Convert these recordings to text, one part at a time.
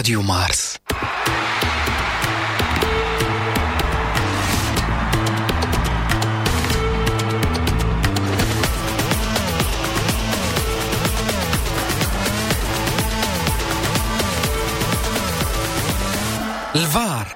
راديو مارس. الفار.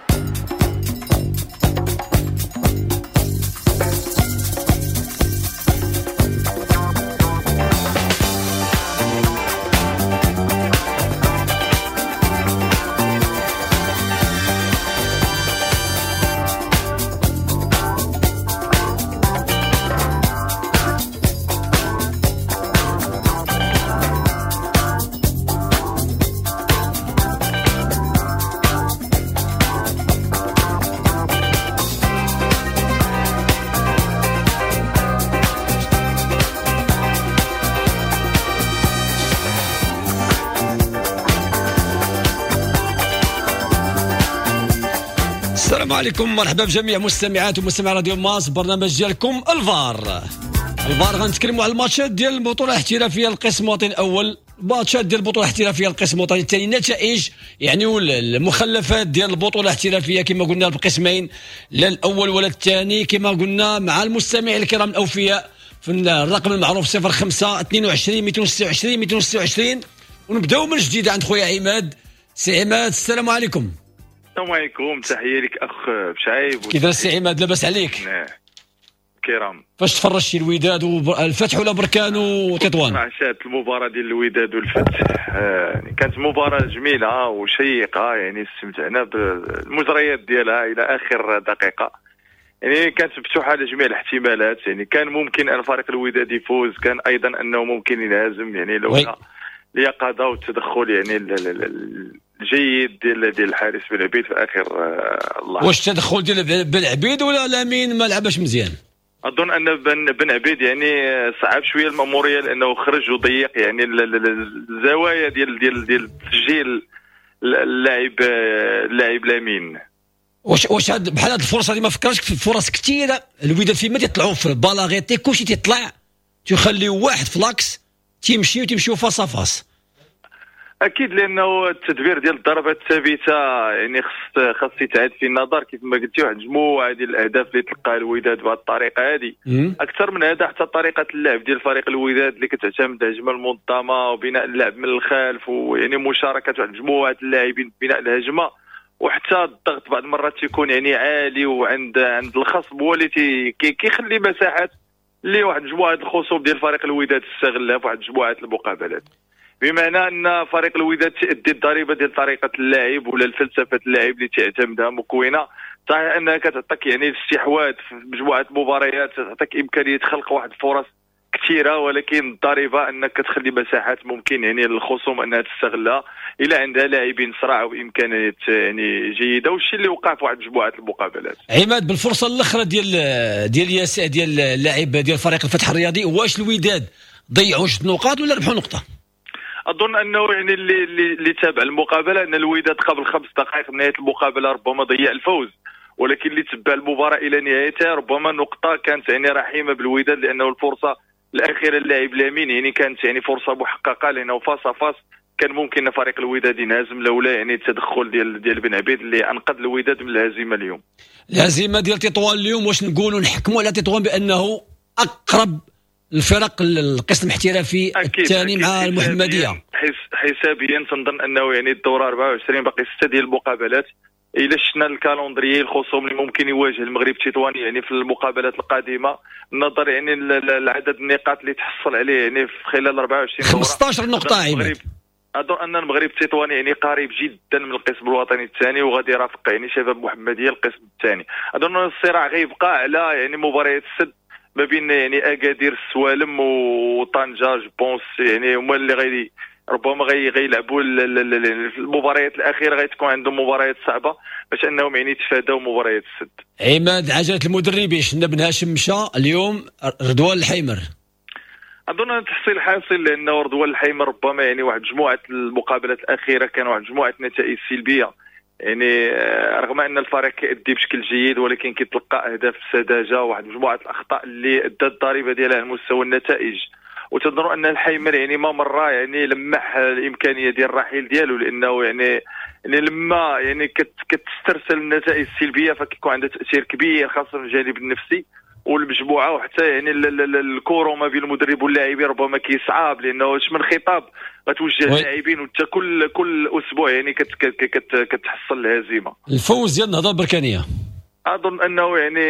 السلام عليكم، مرحبا بجميع مستمعات ومستمعي راديو مارس، برنامج ديالكم الفار. الفار غنتكلموا على الماتشات ديال البطولة الاحترافية القسم الوطني الاول، ماتشات ديال البطولة الاحترافية القسم الوطني الثاني، النتائج يعني المخلفات ديال البطولة الاحترافية كما قلنا بقسمين، لا الاول ولا الثاني كما قلنا مع المستمعين الكرام الاوفياء في الرقم المعروف 05 22 226 226. ونبداو من جديد عند خويا عماد. سي عماد السلام عليكم. السلام عليكم، تحية لك اخ بشعيب. كيف السي عماد، لاباس عليك؟ كرام. فاش تفرجتي الوداد والفتح ولا بركان وتطوان؟ عشات المباراة ديال الوداد والفتح، يعني كانت مباراة جميلة وشيقه، يعني استمتعنا بالمجريات ديالها الى اخر دقيقة، يعني كانت مفتوحة لجميع الاحتمالات، يعني كان ممكن ان فريق الوداد يفوز، كان ايضا انه ممكن ينهزم، يعني لولا اليقظة والتدخل يعني الجيد ديال الحارس بن عبيد في اخر اللحظة. واش التدخل ديال بن عبيد ولا لامين ما لعبش مزيان؟ اظن ان بن عبيد يعني صعب شوية الماموريه، لانه خرج وضيق يعني الزوايا ديال ديال ديال تسجيل اللاعب لامين. واش بحال هاد الفرصة اللي ما فكرش في فرص كثيرة الوداد فيما تيطلعوا في balle arrêtée كلشي تيطلع، تيخليو واحد ف l'axe تيمشي وتيمشيو face à face. اكيد، لانه التدبير ديال الضربات الثابتة يعني خص يتعاد في النظر كيف ما قلتي، واحد مجموعة ديال الاهداف اللي تلقاها الوداد بهذه الطريقة هذه. اكثر من هذا حتى طريقه اللعب ديال فريق الوداد اللي كتعتمد على الهجمة المنظمة وبناء اللعب من الخلف، ويعني مشاركة واحد مجموعة اللاعبين في بناء الهجمة، وحتى الضغط بعض المرات تيكون يعني عالي وعند عند الخصم هو اللي كيخلي مساحات اللي واحد مجموعة الخصوم ديال فريق الوداد تستغلها في واحد مجموعة المقابلات. بمعنى ان فريق الوداد تؤدي الضريبة ديال طريقه اللعب ولا الفلسفة اللعب اللي تعتمدها مكونة. صحيح انها كتعطيك يعني الاستحواذ في مجموعة المباريات، تعطيك امكانية خلق واحد الفرص كثيرة، ولكن الضريبة انك كتخلي مساحات ممكن يعني للخصوم انها تستغلها الى عندها لاعبين صراع وامكانيات يعني جيدة، والشيء اللي وقع في واحد مجموعة المقابلات. عماد، بالفرصه الاخرى ديال ياسر ديال اللاعب ديال فريق الفتح الرياضي، واش الوداد ضيعوا جوج نقاط ولا ربحوا نقطة؟ اظن انه يعني اللي تابع المقابلة ان الوداد قبل 5 دقائق من نهاية المقابلة ربما ضيع الفوز، ولكن اللي تبع المباراة الى نهايتها ربما نقطة كانت يعني رحيمه بالوداد، لانه الفرصة الاخيرة اللاعب لامين يعني كانت يعني فرصة محققة، لانه face à face كان ممكن فريق الوداد ينهزم لولا يعني التدخل ديال بن عبيد اللي انقذ الوداد من الهزيمة اليوم. الهزيمة ديال تطوان اليوم، واش نقولوا نحكموا على تطوان بانه اقرب الفرق القسم الاحترافي الثاني مع المحمدية؟ حسابيا تنظن انه يعني الدورة 24 باقي 6 ديال المقابلات. الا شفنا ال calendrier الخصوم اللي ممكن يواجه المغرب التطواني يعني في المقابلات القادمة، النظر يعني العدد النقاط اللي تحصل عليه يعني في خلال 24 دوره 15 نقطة عماد. اظن ان المغرب التطواني يعني قريب جدا من القسم الوطني الثاني، وغادي يرافق يعني شباب محمديه القسم الثاني. اظن ان الصراع غيبقى على يعني مباريات السد ما بين يعني اكادير السوالم وطنجه، je pense يعني هما اللي غادي ربما غيلعبوا المباريات الاخيرة، غتكون عندهم مباريات صعبة باش انهم يعني يتفاداو مباريات السد. عماد، عجله المدربين شفنا بن هاشم مشى اليوم، رضوان الحيمر. اظن ان تحصيل حاصل، لانه رضوان الحيمر ربما يعني واحد مجموعة المقابلات الاخيرة كان واحد مجموعة نتائج سلبية، يعني رغم ان الفريق كيأدي بشكل جيد ولكن كيتلقى اهداف سذاجة وواحد مجموعة الاخطاء اللي ادت الضريبة ديالها على مستوى النتائج. وتظن ان الحيمر يعني ما مرة يعني لمح الامكانية ديال الرحيل ديالو، لانه يعني يعني لما يعني كتسترسل النتائج السلبية فكيكون عندها تاثير كبير، خاصة في الجانب النفسي والمجموعة، وحتى يعني ال courant ما بين المدرب واللاعبين ربما كيصعب، لانه اش من خطاب غتوجه اللاعبين وانت كل اسبوع يعني كتحصل الهزيمة. الفوز ديال النهضة البركانيه، اظن انه يعني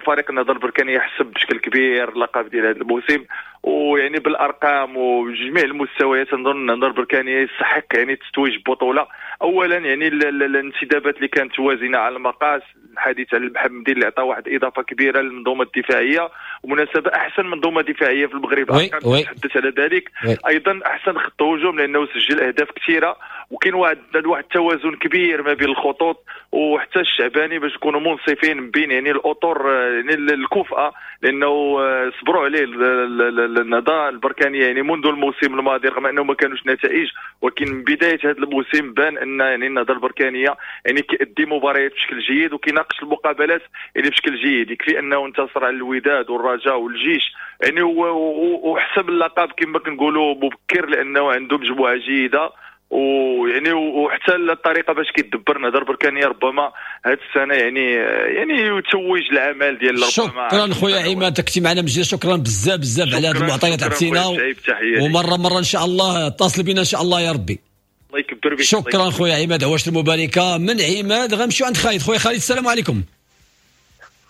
فريق النهضة البركانيه يحسب بشكل كبير اللقب ديال هذا الموسم، ويعني بالارقام وجميع المستويات نظن النهضة البركانيه يستحق يعني التتويج ببطولة. اولا يعني الانتدابات اللي كانت وازنه على المقاس، الحديث على المحمدي اللي عطى واحد اضافه كبيرة للمنظومة الدفاعية، ومناسبة احسن منظومة دفاعية في المغرب تحدث على ذلك. ايضا احسن خط هجوم لانه سجل اهداف كثيرة، وكاين واحد التوازن كبير ما بين الخطوط، وحتى الشعباني باش نكونوا منصفين بين يعني الاطر يعني الكفأة، لانه صبروا عليه النهضة البركانيه يعني منذ الموسم الماضي، رغم انه ما كانوش نتائج، ولكن من بداية هذا الموسم بان ان يعني النهضة البركانيه يعني كيأدي مباريات بشكل جيد وكيناقش المقابلات يعني بشكل جيد. يكفي انه انتصر على الوداد والرجاء والجيش يعني وحسب اللقب كما كنقولوا مبكر، لانه عنده مجموعة جيدة، ويعني وحتى الطريقة باش كيدبر النهضة البركانيه ربما هذه السنة يعني يتوج العمل ديال ربما. شكرا خويا عماد، كنتي معنا مجد، شكرا بزاف بزاف على هذه المعطيات عطينا، ومرة مرة ان شاء الله اتصل بنا ان شاء الله يا ربي. الله يكبر بك. شكرا خويا عماد، عواش المباركة. من عماد غنمشيو عند خالد. خويا خالد السلام عليكم.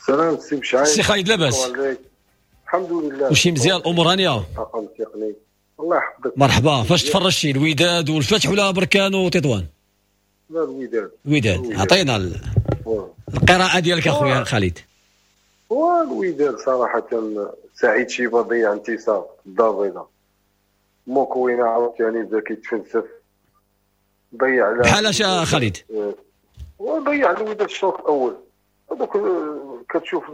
السلام سي بشعيب. سي خالد لاباس؟ الحمد لله، وشي مزيان، الامور هانيه؟ الله يحفظك. مرحبا. فاش تفرجتي الوداد والفتح ولا بركان وتطوان؟ لا الوداد. الوداد عطينا القراءة ديالك اخويا خالد. هو الوداد صراحة سعيد شيبة ضيع انتصار الدار البيضاء، موكوينا عاوتاني بدا كيتفلسف، ضيع على بحال اش خالد؟ وضيع الوداد الشوط الاول. هذوك كتشوف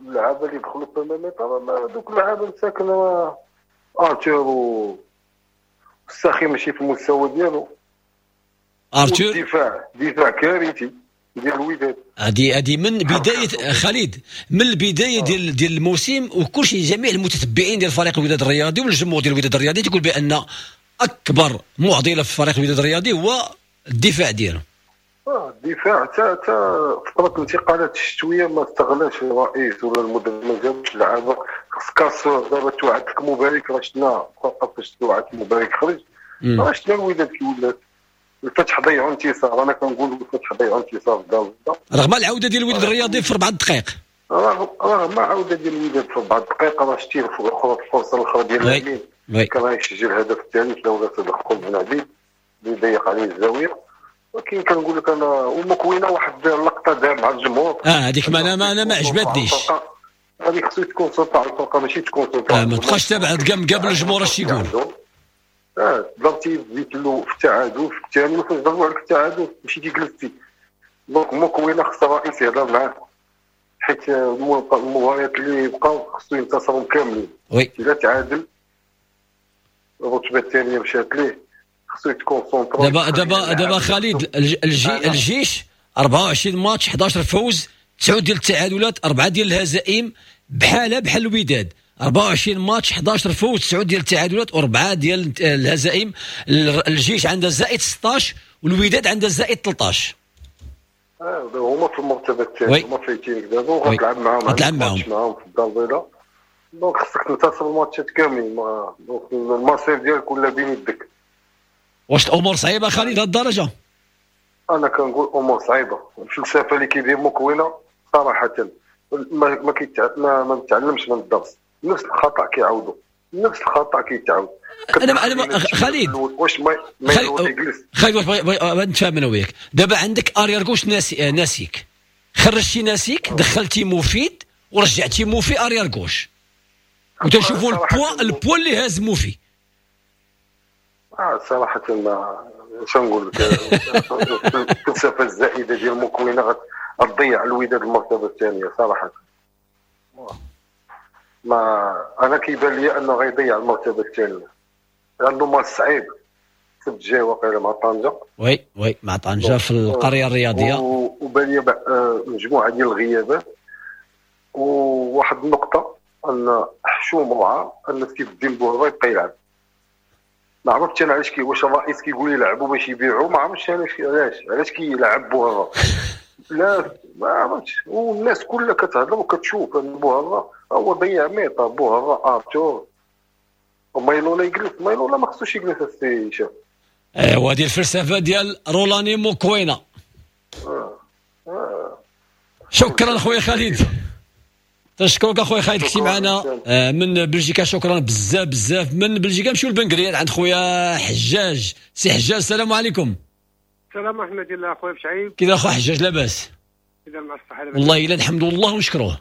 اللعابه اللي دخلوا في الميطا، دوك اللعابه مساكن ارتور والساخي ماشي في المستوى ديالو. ارتور دفاع كارثي ديال الوداد. هذه من بداية خالد، من البداية ديال الموسم، وكل شيء جميع المتتبعين ديال فريق الوداد الرياضي والجمهور ديال الوداد الرياضي تقول بان اكبر معضلة في فريق الوداد الرياضي هو الدفاع ديالو. الدفاع تا فترة الانتقالات الشتوية ما استغلاش الرئيس ولا المدرب، ما جابش لعابه. خص كاسور دابا توعد لك مبارك، راه شفنا فاش توعد مبارك خرج، راه شفنا الوداد كي ولات. الفتح ضيعوا انتصار، انا كنقول الفتح ضيعوا انتصار في الدار البيضاء، رغم العودة ديال الوداد الرياضي في 4 دقائق. رغم العودة ديال الوداد في 4 دقائق، راه شتي الفرصة الاخرى ديال الامين كان غيسجل الهدف الثالث لولا تدخل بن عبيد اللي ضيق عليه الزاوية. ولكن كنقول لك انا ومكوينه واحد اللقطة دار مع الجمهور، هذيك ما انا ما عجبتنيش. هذيك خصو تكون سلطة على الفرقة، ماشي تكون سلطة ما تبقاش تابع قبل الجمهور اش يقول. ضربتي زيت له في التعادل في الثاني، وفاش ضربوا عليك التعادل مشيتي جلستي. donc مكوينه خص الرئيس يهضر معاه، حيت المباريات اللي بقاو خصو ينتصروا كاملين. الا تعادل الرتبة الثانية مشات ليه، خصو يت concentra. دابا خالد الجيش 24 ماتش، 11 فوز، 9 ديال التعادلات، 4 ديال الهزائم، بحال الوداد 24 ماتش، 11 فوز، 9 ديال التعادلات و4 ديال الهزائم. الجيش عنده زائد 16 والوداد عنده زائد 13. هما في المرتبة الثانية، هما فايتينك دابا وغتلعب معاهم، غتلعب معاهم في الدار البيضاء. donc خصك تنتصر الماتشات كاملين، donc المصير ديالك ولا بين يدك. واش الامور صعيبة خالد لهاد الدرجة؟ انا كنقول امور صعيبة. الفلسفة اللي كيدير مكوينه صراحة ما متعلمش من الدرس، نفس الخطا كيعاودوا، نفس الخطا كيتعاود. انا خالد واش ما يجلس خالد، واش نتفاهم انا وياك دابا؟ عندك arrière gauche ناسيك، خرجتي ناسيك، دخلتي مفيد ورجعتي موفي arrière gauche، وتشوفوا ال poids اللي هاز موفي. صراحة ما شنو نقول لك، الفلسفة الزائدة ديال مكوينه غتضيع الوداد المرتبة الثانية صراحة. ما انا كيبان لي انه غيضيع المرتبة الثانية، لانه ماتش صعيب. السبت الجاي واقيلا مع طنجه. oui مع طنجه في القرية الرياضية، وبان لي مجموعة ديال الغيابات. وواحد النقطة ان حشوم وعار ان سيف الدين بوهبه يبقى يلعب. ما عرفتش انا علاش واش الرئيس كيقول يلعبوا باش يبيعوا، ما عرفتش علاش كيلعب بوهره. لا ما عرفتش، والناس كلها كتهضر وكتشوف ان بوهره هو ضيع ميطا. بوهره ارتور ومايلولا يجلس، مايلولا ما خصوش يجلس السي هشام. ايوا هذه الفلسفة ديال رولاني موكوينا. شكرا خويا خالد، تشكرك اخويا خالد كنتي معنا من بلجيكا، شكرا بزاف بزاف. من بلجيكا نمشيو لبنكرير عند خويا حجاج. سي حجاج السلام عليكم. السلام ورحمة الله اخويا بشعيب، كي داير اخويا حجاج؟ لاباس؟ كي مع الصحة؟ والله الا الحمد لله ونشكروه.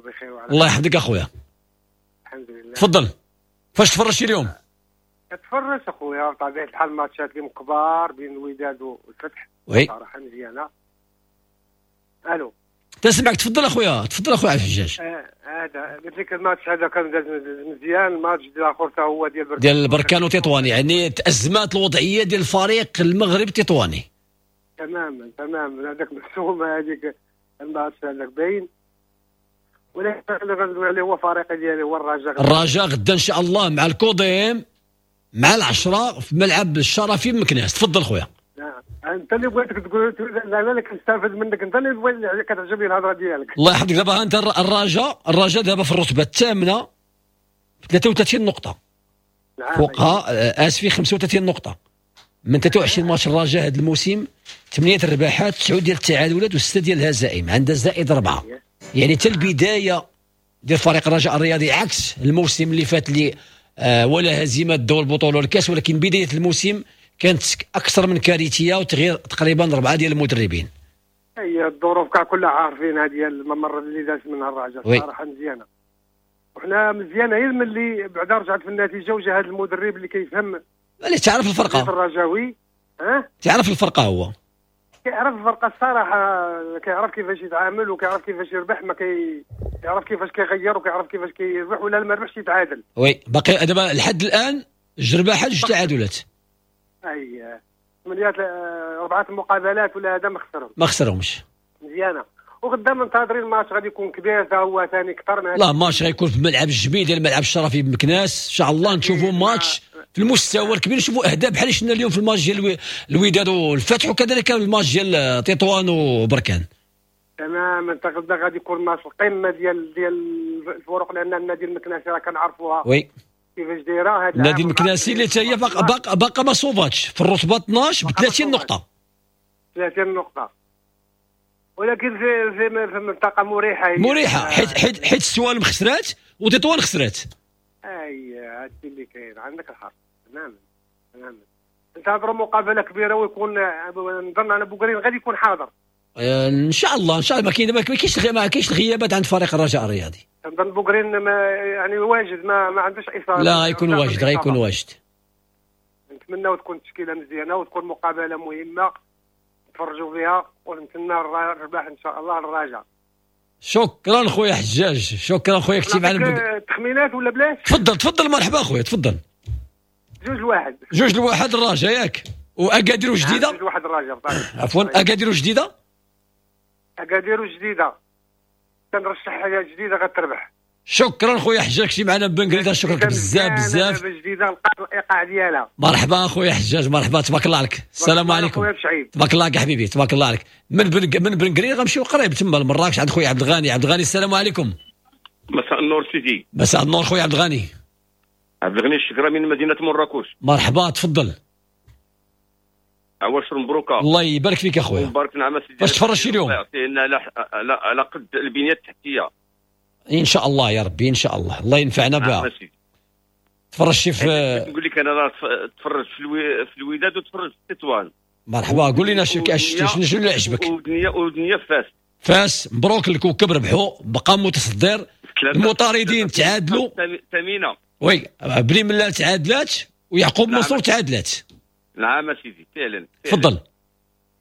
بخير وعلى الله يحفظك اخويا. الحمد لله. تفضل، فاش تفرجتي اليوم؟ تفرجت اخويا بطبيعة الحال ماتشات اليوم كبار بين الوداد والفتح. oui صراحة مزيانه. الو تسمعك، تفضل اخويا، تفضل اخويا عبد الحجاج. هذا قلت لك الماتش هذا كان مزيان. الماتش الاخر حتى هو ديال بركان وتطواني، يعني تازمات الوضعية ديال الفريق المغرب التطواني. تماما تماما، هذاك محسومة هذيك الماتش هذاك باين. ولكن اللي غندوي عليه هو فريقي ديالي هو الرجاء. الرجاء غدا ان شاء الله مع الكوديم مع 10 في ملعب الشرفي بمكناس. تفضل خويا. انت اللي بغيتك تقول، لا لا كنستافد منك، انت اللي بغيت كتعجبني الهضرة ديالك. الله يحفظك. دابا انت الرجاء دابا في الرتبة الثامنة ب 33 نقطة. نعم. فوقها اسفي 35 نقطة من 23 ماتش. الرجاء هذا الموسم 8 الرباحات، 9 ديال التعادلات و6 ديال الهزائم، عندها زائد 4. يعني حتى البداية ديال فريق الرجاء الرياضي عكس الموسم اللي فات اللي ولا هزيمة دول البطولة والكاس، ولكن بداية الموسم كانت اكثر من كارثية وتغيير تقريبا 4 ديال المدربين. هي الظروف كاع كلها عارفين هذه الممر اللي داز منها الرجاء صراحة مزيانه، وحنا مزيانه غير ملي بعدا رجعت في النتيجة وجا هذا المدرب اللي كيفهم، اللي تعرف الفرقة الرجاوي. ها تعرف الفرقة، هو كيعرف الفرقة الصراحة، كيعرف كيفاش يتعامل وكيعرف كيفاش يربح، ما كيعرف كيفاش كيغير وكيعرف كيفاش كيربح ولا ما ربحش يتعادل. oui باقي دابا لحد الان جوج رباحات جوج تعادلات. اي 8 4 مقابلات ولا هذا ما خسرهم، ما خسرهمش. مزيانه. وغدا منتظرين الماتش غادي يكون كبير حتى هو ثاني اكثر من لا ماتش غيكون في ملعب الجميل ديال الملعب الشرفي بمكناس ان شاء الله. نشوفوا ماتش في المستوى الكبير، نشوفوا اهداف بحال شفنا اليوم في الماتش ديال الوداد والفتح، وكذلك الماتش ديال تطوان وبركان. تماما، انت غدا غادي يكون ماتش القمه ديال الفرق، لان النادي المكناسي راه كنعرفوها oui كيفاش دايرة. هذا النادي المكناسي اللي حتى هي باقا ما صوباتش في الرتبة 12 ب 30 نقطة. 30 نقطة، ولكن في منطقة مريحه، مريحه حيت السوالم خسرات وتطوان خسرات. اي هادشي اللي كاين، عندك الحق تماما تماما. انتظروا مقابله كبيرة ويكون نظن انا بوكرين غادي يكون حاضر ان شاء الله. ان شاء الله ما كاينش الغيابات عند فريق الرجاء الرياضي. نظن بوكرين ما يعني واجد، ما عندوش اصابه. لا غيكون واجد، غيكون واجد. نتمناو تكون تشكيله مزيانه وتكون مقابله مهمة نتفرجوا فيها، ونتمنى الرباح ان شاء الله للرجاء. شكرا خويا حجاج، شكرا خويا كنتي معنا. تخمينات ولا بلاش؟ تفضل تفضل، مرحبا خويا تفضل. 2-1. 2-1 الرجاء ياك. واكادير وجديدة؟ 2-1 الرجاء. عفوا اكادير وجديدة؟ اكادير وجديدة كنرشح حاجة جديدة غتربح. شكرا خويا حجاج كنتي معنا بن قريده، شكرا بزاف بزاف. جديدة لقات الايقاع ديالها. مرحبا خويا حجاج، مرحبا، تبارك الله عليك. السلام عليكم. تبارك الله عليك حبيبي، تبارك الله عليك. من بن قرير غنمشيو قريب تما لمراكش عند خويا عبد الغني. عبد الغني السلام عليكم. مساء النور سيدي. مساء النور خويا عبد الغني. عبد الغني الشكرا من مدينة مراكش. مرحبا تفضل. عواشر مبروكه. الله يبارك فيك اخويا. مبارك نعم سيدي. واش تفرجتي اليوم؟ يعطينا على قد البنية التحتية ان شاء الله يا ربي، ان شاء الله الله ينفعنا بها. تفرجتي في، نقول لك انا راه تفرجت في الوداد وتفرجت في تطوان. مرحبا، قول لنا شنو اللي عجبك. ودنيا فاس. فاس مبروك الكوكب ربحوا، بقى متصدر. المطاردين تعادلوا. ثمينة oui بني ملال تعادلات ويعقوب منصور تعادلات. نعم سيدي فعلا. تفضل.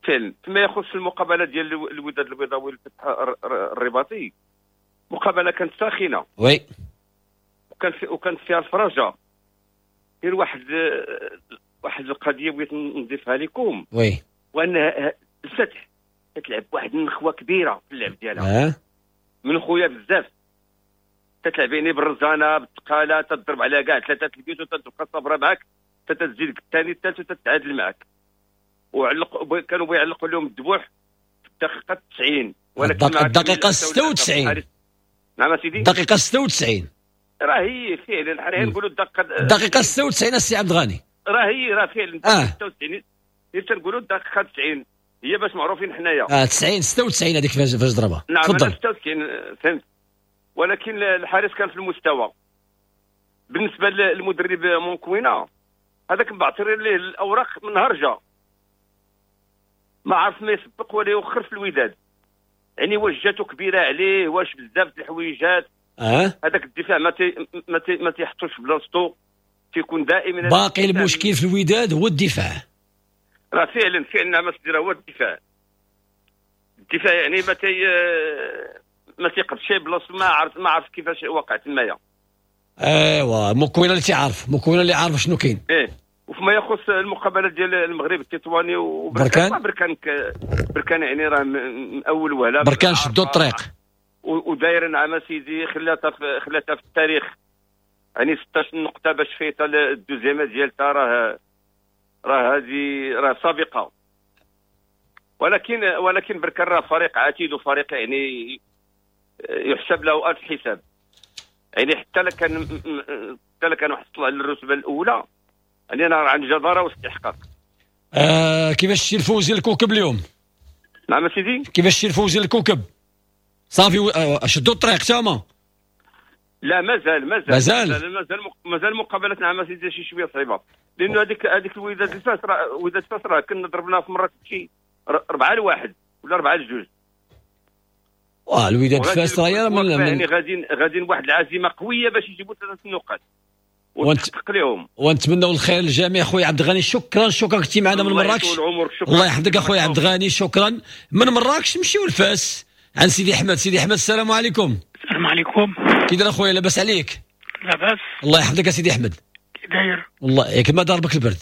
فعلا فيما يخص المقابلة ديال الوداد البيضاوي والفتح الرباطي، مقابله كانت ساخنة oui، وكانت فيها الفرجة. غير واحد القضية بغيت نضيفها لكم oui، وان الفتح تتلعب واحد النخوه كبيرة في اللعب ديالها. من خويا بزاف تتلعب يعني بالرزانه بالثقاله، تضرب على كاع ثلاثة البيوت وتبقى صابره معاك تتزيد الثاني الثالث وتتعادل معك. وعلق كانوا بيعلقوا لهم الذبوح في الدقيقة 90، ولكن الدقيقة 96. نعم سيدي، الدقيقة 96 راه هي فعلا، حنا نقولوا الدقيقة 96 السي عبد الغني، راه هي راه فعلا 96، هي تنقولوا الدقيقة 90 هي باش معروفين حنايا. 90 96 هذيك فاش ضربها. نعم 96 فهمت، ولكن الحارس كان في المستوى. بالنسبة للمدرب مونكوينا هذاك بعثر ليه الاوراق من نهار جا، ما عرف ما يسبق ولا يوخر في الوداد، يعني واش جاتو كبيرة عليه، واش بزاف د الحويجات. هذاك الدفاع ما تيحطوش في بلاصتو، تيكون دائما باقي المشكل في الوداد هو الدفاع. راه فعلا فعلا ما تدير هو الدفاع، الدفاع يعني ما تيقدش بلاصتو، ما عرف كيفاش وقع تمايا. ايوا مكوينه اللي تيعرف، مكوينه اللي عارف شنو كاين. ايه، وفيما يخص المقابلة ديال المغرب التطواني وبركان، بركان يعني راه من اول وهله بركان شدوا الطريق وداير نعم سيدي، خلاتها في التاريخ، يعني 16 نقطة باش فايته ال deuxième ديالتها، راه هذه راه سابقه. ولكن بركان راه فريق عتيد وفريق يعني يحسب له الف حساب، يعني حتى لو كان حصل على الرتبة الاولى، يعني انا عن جداره واستحقاق. كيفاش شتي الفوز ديال الكوكب اليوم؟ نعم سيدي، كيفاش شتي الفوز ديال الكوكب؟ صافي شدوا الطريق تما؟ لا مازال مازال مازال مازال مقابلات نعم سيدي شي شوية صعيبة، لانه هذيك الوداد الفاس راه وداد الفاس راه كنا ضربناها في مرة شي 4-1 ولا 4-2. الوداد الفاس راه يعني غاديين بواحد العزيمة قوية باش يجيبوا 3 النقاط وتحقق لهم. ونتمنوا الخير للجميع. خويا عبد الغني شكرا، شكرا كنتي معنا من مراكش. الله يحفظك اخويا عبد الغني، شكرا. من مراكش نمشيو لفاس عند سيدي احمد. سيدي احمد السلام عليكم. السلام عليكم، كي داير اخويا؟ لاباس عليك؟ لاباس الله يحفظك سيدي احمد. كي داير؟ والله ياك ما ضربك البرد؟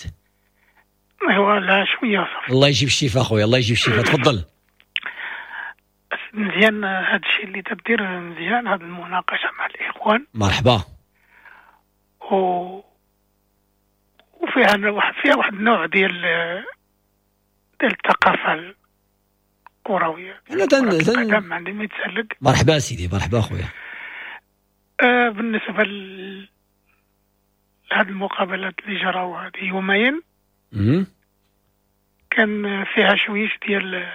ايوا لا شوية صافي. الله يجيب الشفاء اخويا، الله يجيب الشفاء. تفضل. مزيان هذا الشيء اللي تدير، مزيان هذه المناقشة مع الاخوان. مرحبا. وفيها واحد النوع ديال الثقافة الكروية. انا ما عندي ما يتسلك. مرحبا سيدي، مرحبا خويا. بالنسبة لهاد المقابلات اللي جراو هذه يومين، كان فيها شويش ديال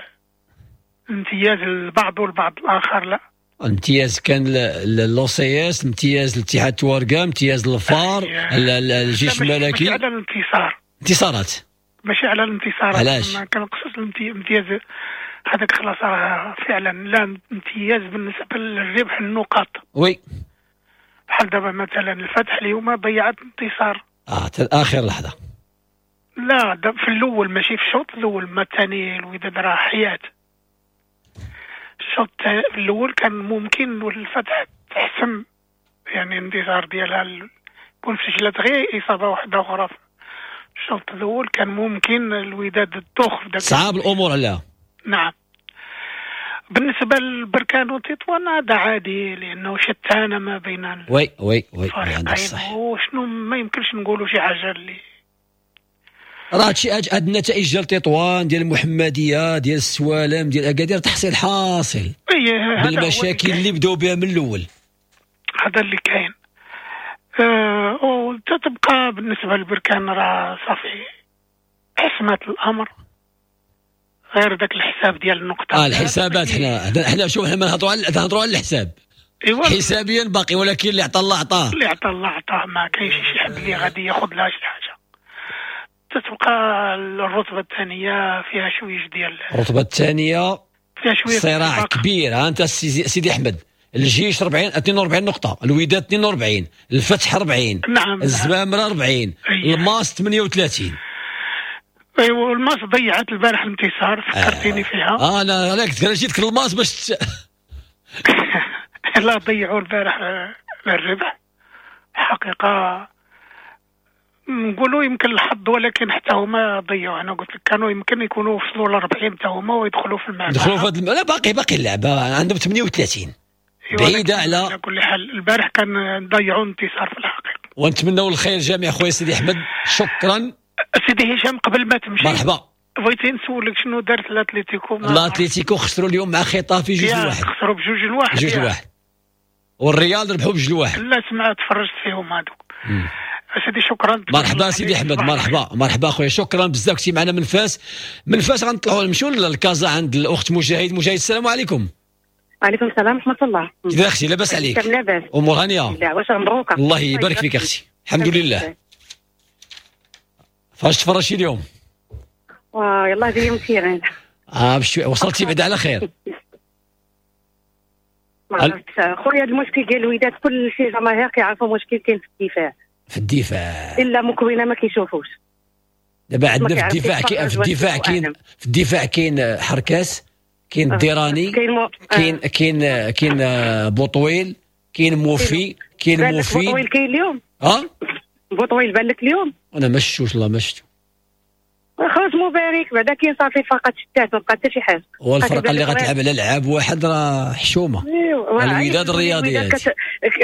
الامتياز للبعض والبعض الاخر لا. الامتياز كان l'OCS، امتياز الاتحاد توارقه، امتياز الفار، الجيش الملكي. ماشي على الانتصار، انتصارات ماشي على الانتصارات. علاش؟ ما كنقصدش الامتياز هذاك، خلاص راه فعلا لا امتياز بالنسبة للربح النقاط. oui، بحال دابا مثلا الفتح اليوم ضيعت انتصار حتى اخر لحظة. لا في الاول، ماشي في الشوط الاول، ما الثاني الوداد راه حيات. الشوط الاول كان ممكن الفتح تحسم يعني الانتصار ديالها، كون سجلت غير اصابه واحدة اخرى في الشوط الاول كان ممكن الوداد تدوخ في داك. صعاب الامور عليها. نعم. بالنسبة للبركان وتطوان هذا عادي، لانه شتان ما بين oui oui oui عندك الصح. وشنو ما يمكنش نقولوا شي حاجة اللي راه هادشي. هاد النتائج ديال تطوان، ديال المحمدية، ديال السوالم، ديال اكادير تحصيل حاصل بالمشاكل اللي بداو بها من الاول. هذا اللي كاين. وتتبقى بالنسبة للبركان راه صافي حسمت الامر، غير ذاك الحساب ديال النقطة. الحسابات حنا شوف، حنا ما نهضروا على الحساب. إيوا حسابيا باقي، ولكن اللي عطى الله عطاه، اللي عطى الله عطاه، ما كاينش شي حد اللي غادي ياخذ لها شي حاجة. تتبقى الرتبة الثانية فيها شوية ديال الرتبة الثانية فيها شوية صراع كبير. ها انت سيدي احمد، الجيش 42 نقطة، الوداد 42، الفتح 40، نعم، الزمامره 40، الماس 38. ايوا الماس ضيعت البارح الانتصار، فكرتيني فيها. انا كنت جيتك الماس باش لا ضيعوا البارح الربح حقيقة، نقولوا يمكن الحظ، ولكن حتى هما ضيعوا. انا قلت لك كانوا يمكن يكونوا وصلوا ل 40 حتى هما ويدخلوا في المعمعة، يدخلوا في لا باقي اللعبة عندهم 38 بعيدة. على كل حال البارح كان ضيعوا انتصار في الحقيقة. ونتمنوا الخير جميع خويا سيدي احمد. شكرا سيدي هشام. قبل ما تمشي مرحبا، بغيت نسولك شنو دارت الاتليتيكو؟ الاتليتيكو خسروا اليوم مع خيطافي 2-1. خسروا ب2-1. 2-1 والريال ربحوا ب2-1. لا سمعت تفرجت فيهم هذوك. سيدي شكرا. مرحبا سيدي احمد، مرحبا مرحبا خويا، شكرا بزاف كنتي معنا من فاس. من فاس غنطلعوا نمشيو للكازا عند الاخت مجاهد. مجاهد السلام عليكم. وعليكم السلام ورحمة الله. كيف اختي؟ لاباس عليك؟ لاباس، امور هانيه؟ لا واش مبروكه. الله يبارك فيك اختي، الحمد لله. فاش تفرجتي اليوم؟ يلاه جاية من terrain. بشوي وصلتي بعدا على خير. ما عرفتش خويا، هذا المشكل ديال الوداد كل شي جماهير كيعرفوا مشكل كاين في الدفاع. في الدفاع الا مكوينه ما كيشوفوش. دابا عندنا في الدفاع كاين في الدفاع كاين حركاس، كاين الديراني، كاين كاين كاين بوطويل، كاين موفي، كاين موفي. بوطويل كاين اليوم؟ بوطويل بان لك اليوم؟ انا ما شفتوش، والله ما شفتو. خلاص مبارك بعدا كاين صافي فقط شتات، ما بقى حتى شي حاجة. والفرقة اللي غتلعب على لعاب واحد راه حشومه. الوداد الرياضي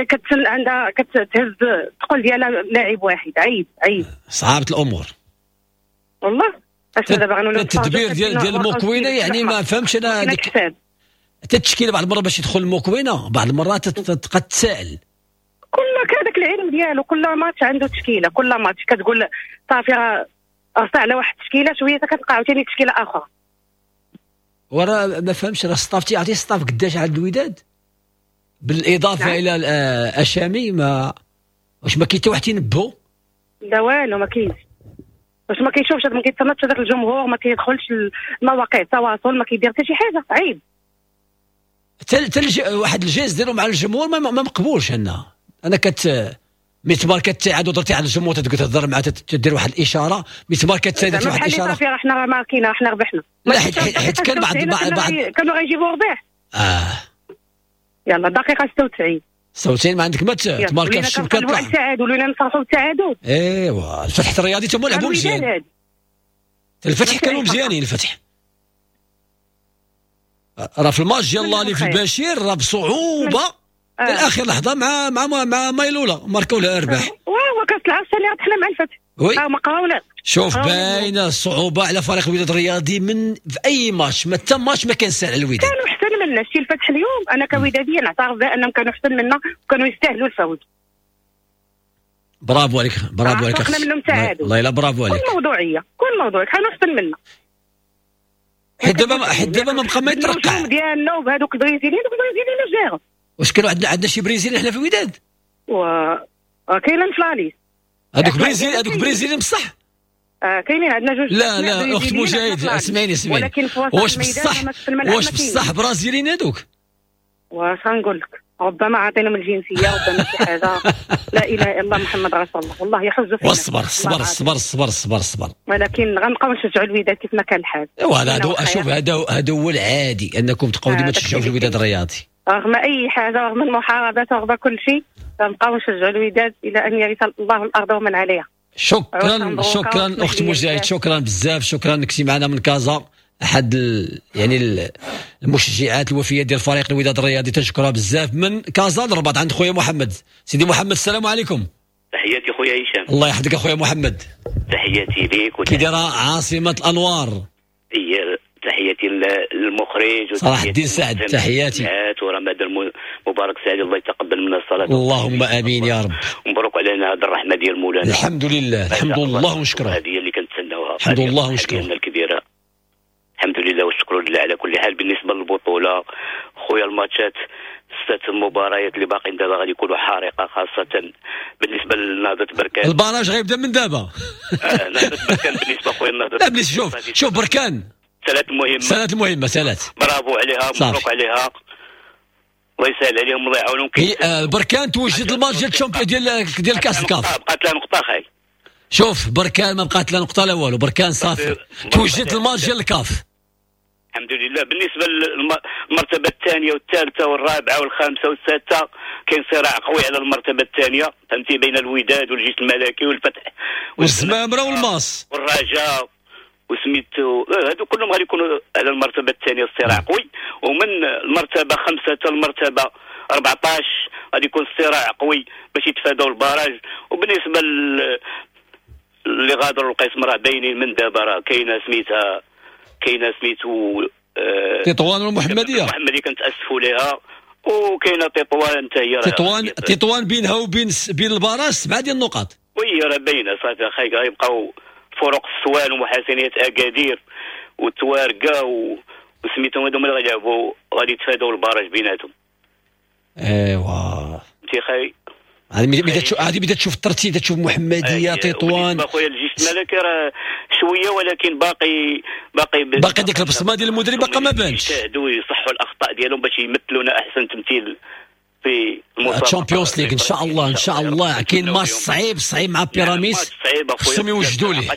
كتسل عندها كتهز الثقل ديالها لاعب واحد، عيب عيب، صعابه الامور والله. اش دابا غنولوا التدبير ديال المكوينه يعني ما فهمتش انا هذيك حتى التشكيلة بعض المرات باش يدخل المكوينه، بعض المرات تبقى تسائل. كل هذاك العلم ديالو، كل ماتش عنده تشكيله، كل ماتش كتقول صافي راه رصع على واحد التشكيلة، شوية كتلقى عاوتاني تشكيله اخرى. وراه ما فهمش راه staff تيعطي staff قداش عند الوداد بالاضافة نعم. الى الاشامي، ما واش ما كاين حتى واحد تينبهو؟ لا والو ما كاينش. واش ما كيشوفش، ما كيتصنتش هذاك الجمهور، ما كيدخلش المواقع التواصل، ما كيدير حتى شي حاجة، عيب. حتى واحد الجيز ديرو مع الجمهور ما مقبولش. انا مي تبارك التعادل درتي على الجمهور تهضر معاه، تدير واحد الاشارة، مي تبارك التعادل واحد الاشارة صافي راه حنا ماركينا، حنا ربحنا. لا حيت كان بعض كانوا غيجيبوا ربح. يلا دقيقة 96 96 ما عندك ما تماركا في الشبكة طلع التعادل، ولينا نفرحوا بالتعادل. ايوا الفتح الرياضي تما لعبوا مزيان، الفتح كانوا مزيانين. الفتح راه في الماتش ديال اللي في البشير راه بصعوبة الاخر لحظة مع مع مع مايلولا ماركوا لها ارباح. واه كاس العرش اللي ربحنا مع الفتح. oui ما قراو. شوف باينة الصعوبة على فريق الوداد الرياضي من في اي ماتش، ما حتى ماتش ما كان سهل على الوداد. كانوا احسن منا شتي الفتح اليوم، انا كوداديه نعترف بانهم كانوا احسن منا وكانوا يستاهلوا الفوز. برافو عليك، برافو عليك. احنا منهم تعادل والله الا برافو عليك. كل موضوعية، كل موضوع كانوا احسن منا. حيت دابا ما بقى ما يترقع ديالنا وبهذوك البرازيليين، دوك البرازيليين جاو. واش كانوا عندنا شي برازيلي حنا في الوداد؟ و كاينين في la liste هذوك برازيل، هذوك برازيليين بصح. كاينين عندنا جوج. لا لا اخت مجاهد اسمعيني اسمعيني، واش بصح واش بصح برازيليين هذوك؟ واش غنقول لك، ربما عاطينهم الجنسية، ربما شي حاجة. لا اله الا الله محمد رسول الله، والله يحز فينا. والصبر الصبر الصبر الصبر الصبر الصبر، ولكن غنبقاو نشجعوا الوداد كيف ما كان الحال. ايوا هذا شوف هذا هو العادي انكم تبقاو ديما تشجعوا في الوداد الرياضي رغم اي حاجة، رغم المحاربات، رغم كل شيء، غنبقاو نشجعوا الوداد الى ان يرث الله الارض ومن عليها. شكرا شكرا اخت مجاهد، شكرا بزاف، شكرا كنتي معنا من كازا، احد يعني المشجعات الوفيه ديال فريق الوداد الرياضي، تنشكرها بزاف. من كازا للرباط عند خويا محمد. سيدي محمد السلام عليكم. تحياتي خويا هشام. الله يحفظك اخويا محمد. تحياتي ليك. كي دايرة عاصمة الانوار؟ تحياتي للمخرج صلاح الدين سعد، تحياتي. ورمضان مبارك سعيد، الله يتقبل منا الصلاة. اللهم امين يا رب. ومبروك علينا هذه الرحمة ديال مولانا. الحمد لله، الحمد لله ونشكره. هذه اللي كنتسناوها. الحمد لله ونشكره. الكبيرة. الحمد لله والشكر لله على كل حال. بالنسبة للبطولة خويا، الماتشات 6 المباريات اللي باقيين دابا غادي يكونوا حارقه، خاصة بالنسبة لنهضه بركان. ال barrage غيبدا من دابا. نهضة بركان بالنسبة خويا نهضة. لا بليش شوف شوف بركان ثلاث مهمة، ثلاث مهمة، ثلاث. برافو عليها، مبروك عليها، الله يسهل عليهم الله يعاونهم. بركان توجد الماتش ديال ال champion ديال كاس الكاف. بقات لها نقطة خاي. شوف بركان ما بقات لا نقطة لا والو، بركان صافي توجد الماتش ديال الكاف. الحمد لله. بالنسبة للمرتبه الثانية والثالثة والرابعة والخامسة والسادسه كاين صراع قوي على المرتبة الثانية، فهمتي، بين الوداد والجيش الملكي والفتح والزمامره والماس والرجاء وسميتو، هادو كلهم غادي يكونوا على المرتبة الثانية، الصراع قوي. ومن المرتبة 5 حتى المرتبة 14 غادي يكون الصراع قوي باش يتفادوا ال barrage. وبالنسبة اللي غادروا القسم راه باينين من دابا، راه كاينه سميتها، كاينه سميتو تطوان والمحمديه، المحمدية كنتاسفوا ليها، وكاينه تطوان حتى هي، تطوان بينها وبين ال barrage 7 ديال النقاط. oui راه باينة صافي اخي، غيبقاو فرق السوان ومحاسنيه اكادير والتوارقه وسميتهم هذوما اللي غيلعبوا غادي يتفادوا ال barrage بيناتهم. ايوا انت خاي هذه بدات تشوف الترتيب، تشوف محمديه تطوان. خويا الجيش الملكي راه شوية، ولكن باقي باقي باقي ديك البصمة ديال المدرب باقا ما بانش. يجتهدوا يصحوا الاخطاء ديالهم باش يمثلونا احسن تمثيل في المسابقة ال Champions League ان شاء الله. ان شاء الله كاين ماتش صعيب صعيب مع بيراميدز، خصهم يوجدوا ليه.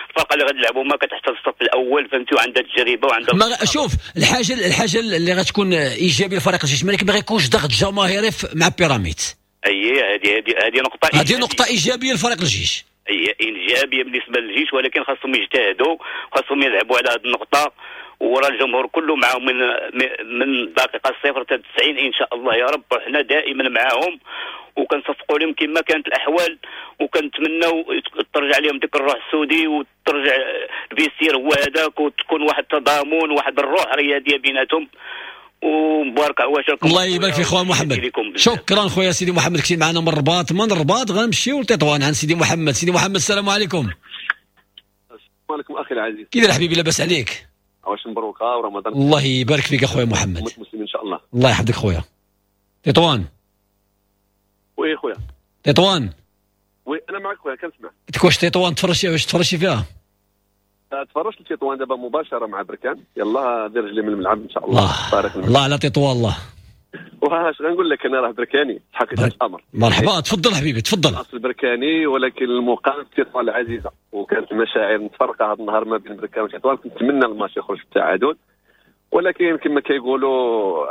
الفرقة اللي غتلعبوا ما كتحتل الصف الاول، فهمتي، وعندها تجربه وعندها. شوف الحاجة اللي غتكون ايجابية لفريق الجيش الملكي، ما غيكونش ضغط جماهيري مع بيراميدز. اي هذه نقطة، هذه نقطة ايجابية لفريق الجيش. اي ايجابية بالنسبة للجيش، ولكن خاصهم يجتهدوا، خاصهم يلعبوا على هذه النقطة، ورا الجمهور كله معاهم من الدقيقة 0 حتى 90 ان شاء الله يا رب. وحنا دائما معاهم وكنصفقوا لهم كما كانت الاحوال، وكنتمناو ترجع لهم ديك الروح السودي وترجع ال vestiaire هو هذاك، وتكون واحد التضامن وواحد الروح رياضية بيناتهم. ومبارك عواشركم. الله يبارك في خويا محمد. شكرا خويا سيدي محمد، كنتي معنا من الرباط. من الرباط غنمشيو لتطوان عند سيدي محمد. سيدي محمد السلام عليكم. السلام عليكم اخي العزيز، كي داير حبيبي؟ لاباس عليك؟ عواش مبروكه ورمضان. الله يبارك فيك اخويا محمد. مسلم ان شاء الله. الله يحفظك خويا. تطوان. oui خويا. تطوان. oui انا معك خويا كنسمع. قلت لك واش تطوان تفرجتي، واش تفرجتي فيها؟ تفرجت تطوان دابا مباشرة مع بركان، يلا دير رجلي من الملعب ان شاء الله. الله على تطوان. الله. واش غنقول لك، انا راه بركاني حقيقة الامر. مرحبا، تفضل حبيبي تفضل. اصل بركاني، ولكن المقام في تطوان العزيزة، وكانت المشاعر متفرقة هذا النهار ما بين بركان وتطوان. كنتمنى الماتش يخرج بالتعادل، ولكن كما كيقولوا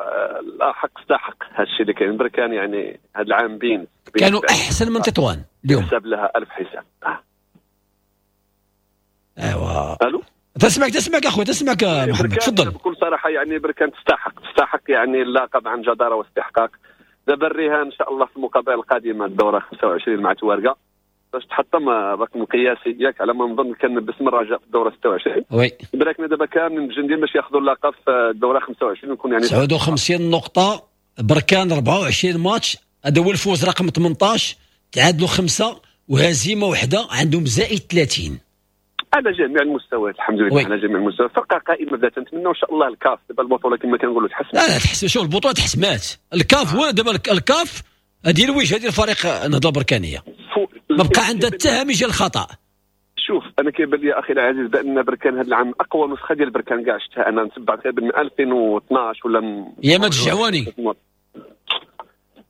لا حق استحق. هذا الشيء اللي كاين بركان يعني هذا العام بين كانوا احسن من تطوان اليوم، حسب لها 1000 حساب. ايوا الو، تسمعك اخويا، تسمعك محمد، تفضل. بكل صراحة يعني بركان تستحق يعني اللقب عن جداره واستحقاق. دابا الرهان ان شاء الله في المقابلة القادمة الدورة 25 مع توارقه باش تحطم الرقم القياسي ياك، على ما نظن كان باسم الرجاء في الدورة 26. oui بركنا دابا كامل متجندين باش ياخذوا اللقب في الدورة 25 ويكون يعني 59 نقطة. بركان 24 ماتش، هذا هو الفوز رقم 18، تعادلوا 5 وهزيمة واحدة، عندهم زائد 30 على جميع المستويات الحمد لله. على جميع المستويات فرقه قائمة بدات. نتمنى ان شاء الله الكاف دابا البطولة كما كنقولوا تحسمات. لا تحسم، شوف البطولة تحسمات. الكاف هو دابا الكاف هذه الوجهة ديال فريق النهضة البركانيه، ما بقى عندها حتى هامش الخطا. شوف انا كيبان لي اخي العزيز بان بركان هذا العام اقوى نسخه ديال بركان كاع شفتها انا، نتبع تقريبا من 2012 ولا يا ما الجعواني.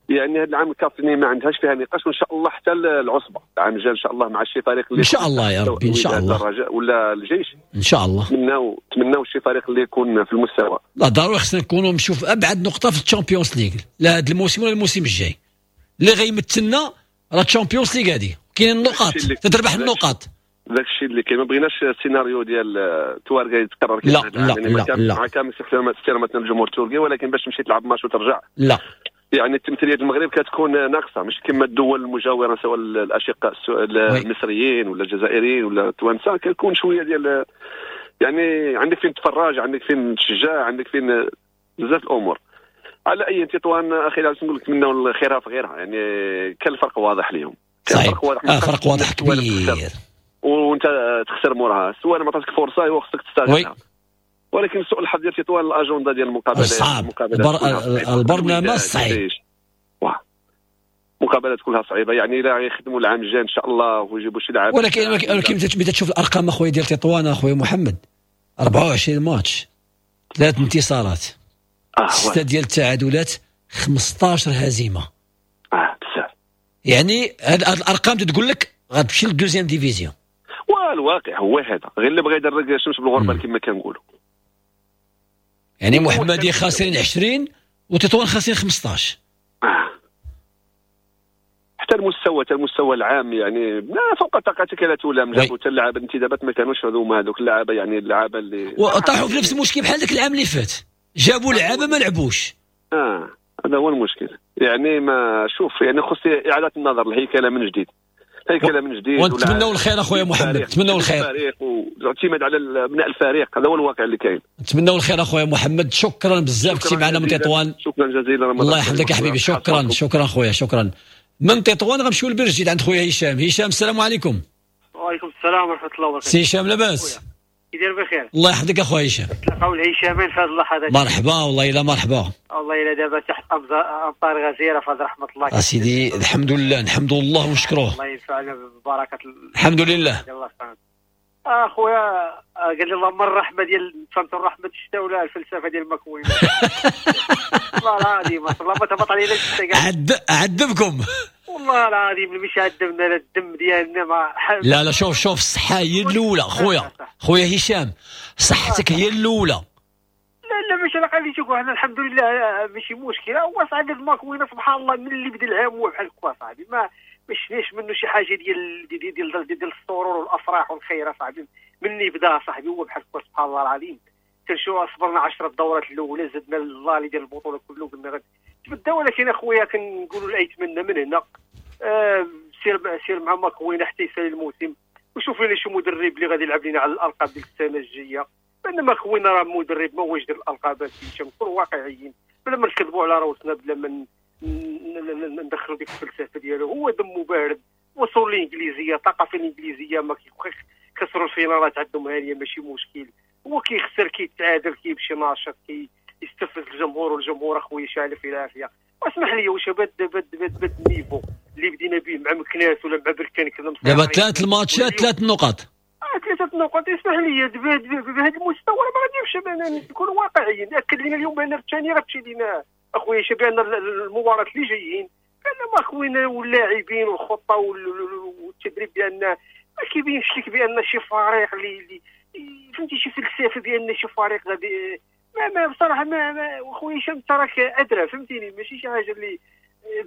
يعني هذا العام الكاف ما عندهاش فيها نقاش، وان شاء الله حتى العصبة العام الجاي ان شاء الله مع شي فريق اللي ان شاء الله يا ربي، ان شاء الله الرجاء ولا الجيش ان شاء الله. نتمناو شي فريق اللي يكون في المستوى. لا ضروري خصنا نكونوا نشوف ابعد نقطة في ال Champions League، لا هذا الموسم ولا الموسم الجاي. اللي غيمثلنا راه ال Champions League هذه، كاين النقاط، تتربح النقاط. داك الشيء اللي كاين، ما بغيناش السيناريو ديال توارقه يتكرر. لا لا لا لا، مع كامل احتراماتنا للجمهور التركي، ولكن باش تمشي تلعب ماتش وترجع لا، يعني التمثيلية المغرب كتكون ناقصه، مش كما الدول المجاورة سواء الاشقاء المصريين ولا الجزائريين ولا التوانسة، كتكون شوية ديال يعني عندك فين تفرج، عندك فين تشجع، عندك فين بزاف الامور. على اي تطوان اخي العزيز نقول لك نتمناو خيرها في غيرها، يعني كان الفرق واضح اليوم، كان فرق واضح، فرق واضح كبير، وانت تخسر موراها سواء ما عطاتك فرصة ايوا خصك تستغلها. ولكن سوء الحظ ديال تطوان الاجندة ديال المقابلات صعب، البرنامج صعيب، مقابلات كلها صعيبة. يعني الا يخدموا العام الجاي ان شاء الله ويجيبوا شي لاعب. ولكن متى تشوف الارقام اخويا ديال تطوان اخويا محمد، 24 ماتش، 3 انتصارات، 6 ديال التعادلات، 15 هزيمة. بزاف. يعني هاد الارقام تقول لك غتمشي لل deuxième division. والواقع هو هذا، غير اللي بغى يدرج الشمس بالغربال كما كنقولوا. يعني محمديه خاسرين 20 وتطوان خاسرين 15. حتى المستوى العام يعني لا فوق طاقتك لا تلام. جابوا حتى اللعابه الانتدابات ما كانوش هذوما هذوك اللعابه، يعني اللعابه اللي وطاحوا في نفس المشكل بحال ذاك العام اللي فات، جابوا لعابه ما لعبوش. هذا هو المشكل. يعني ما شوف، يعني خص اعاده النظر، الهيكله من جديد، هيكله من جديد. ونتمنوا الخير اخويا محمد، نتمنوا الخير. الفريق والاعتماد على بناء الفريق، هذا هو الواقع اللي كاين. نتمنوا الخير اخويا محمد، شكرا بزاف كنتي معنا من تطوان. شكرا جزيلا، الله يحفظك يا حبيبي، شكرا شكرا خويا، شكرا. من تطوان غنمشيو لبير جديد عند خويا هشام. هشام السلام عليكم. وعليكم السلام ورحمة الله وبركاته. سي هشام لاباس؟ كي داير بخير؟ الله يحفظك اخويا هشام. تلقاو الهشامين في هذه اللحظات. مرحبا والله الا مرحبا. والله الا دابا تحت امطار غزيرة في هذه رحمه الله. اسيدي الحمد لله، نحمد الله ونشكروه. الله ينفعنا ببركة الحمد لله. الله سبحانه. اخويا قال لي اللهم الرحمة ديال فهمت الرحمة الشتاء ولا الفلسفة ديال المكوين. والله العظيم الله ما تهبط علينا الشتاء. عذبكم والله العظيم، مش عذبنا لا الدم ديالنا ما. لا لا شوف شوف، الصحة هي الاولى خويا، خويا هشام صحتك هي الاولى. لا لا ماشي انا قال لي شوف حنا الحمد لله ماشي مشكلة. هو صاحبي الماكوينه سبحان الله من اللي بدا العام هو بحال هكا صاحبي، ما شفناش منه شي حاجة ديال ديال ديال ديال السرور والافراح والخير صاحبي. من اللي بدا صاحبي هو بحال هكا سبحان الله العظيم. كنشوف صبرنا 10 دورات الاولى، زدنا اللالي ديال البطولة كله قلنا غادي تبدا، ولكن اخويا كنقولوا لايتمنى من هنا سير مع ماكوينه حتى يسالي الموسم، وشوف لنا شي مدرب اللي غادي يلعب لنا على الالقاب ديال السنة الجاية. بان ماكوينه راه مدرب ما هوش ديال الالقاب، نكونوا واقعيين بلا ما نكذبوا على روسنا، بلا ما ندخلوا ديك الفلسفة ديالو. هو دمو بارد، وصول الانجليزية، ثقافة الانجليزية، ما كيخسروا الفينالات عندهم هانيه ماشي مشكل. هو كيخسر كيتعادل كيمشي ناشط كيستفز الجمهور، والجمهور اخويا شاعل في العافية. واسمح لي واش بد بد بد بد ال niveau اللي بدينا به مع مكناس ولا مع بركان كذا، دابا 3 الماتشات 3 نقاط، 3 نقاط. اسمح لي بهذا المستوى ما غاديش نكونوا واقعيين. اكد لنا اليوم بان الثانية غتمشي لنا اخويا بان المباراة اللي جايين، بان ما خوينا واللاعبين والخطه والتدريب بان ما كيبينش لك بان شي فريق اللي فهمتي شي فلسفة بان شي فريق غادي ما بصراحة ما خويا هشام انت راك ادرى فهمتيني، ماشي شي حاجة اللي